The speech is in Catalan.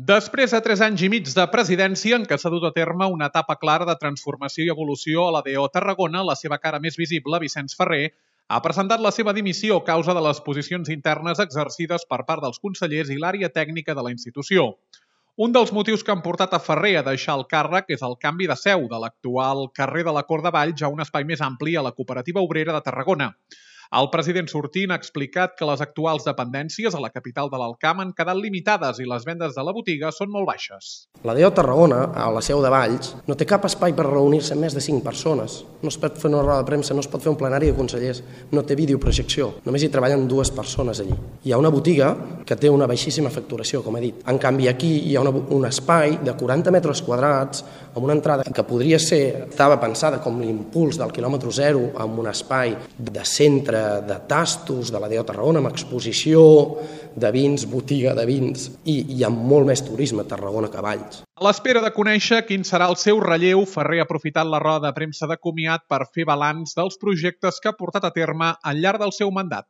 Després de 3 anys i mig de presidència en què s'ha dut a terme una etapa clara de transformació i evolució a la DO Tarragona, la seva cara més visible, Vicenç Ferrer, ha presentat la seva dimissió a causa de les posicions internes exercides per part dels consellers i l'àrea tècnica de la institució. Un dels motius que han portat a Ferrer a deixar el càrrec és el canvi de seu de l'actual carrer de la Cor de Valls a un espai més ampli a la Cooperativa Obrera de Tarragona. El president sortint ha explicat que les actuals dependències a la capital de l'Alcamp han quedat limitades i les vendes de la botiga són molt baixes. La DO Tarragona, a la seu de Valls, no té cap espai per reunir-se amb més de 5 persones. No es pot fer una roda de premsa, no es pot fer un plenari de consellers, no té videoprojecció, només hi treballen 2 persones allí. Hi ha una botiga que té una baixíssima facturació, com he dit. En canvi, aquí hi ha un espai de 40 metres quadrats amb una entrada que podria ser, estava pensada com l'impuls del quilòmetre zero, amb un espai de centre de tastos de la DO Tarragona, amb exposició de vins, botiga de vins, i hi ha molt més turisme a Tarragona que a Valls. A l'espera de conèixer quin serà el seu relleu, Ferrer ha aprofitat la roda de premsa de comiat per fer balanç dels projectes que ha portat a terme al llarg del seu mandat.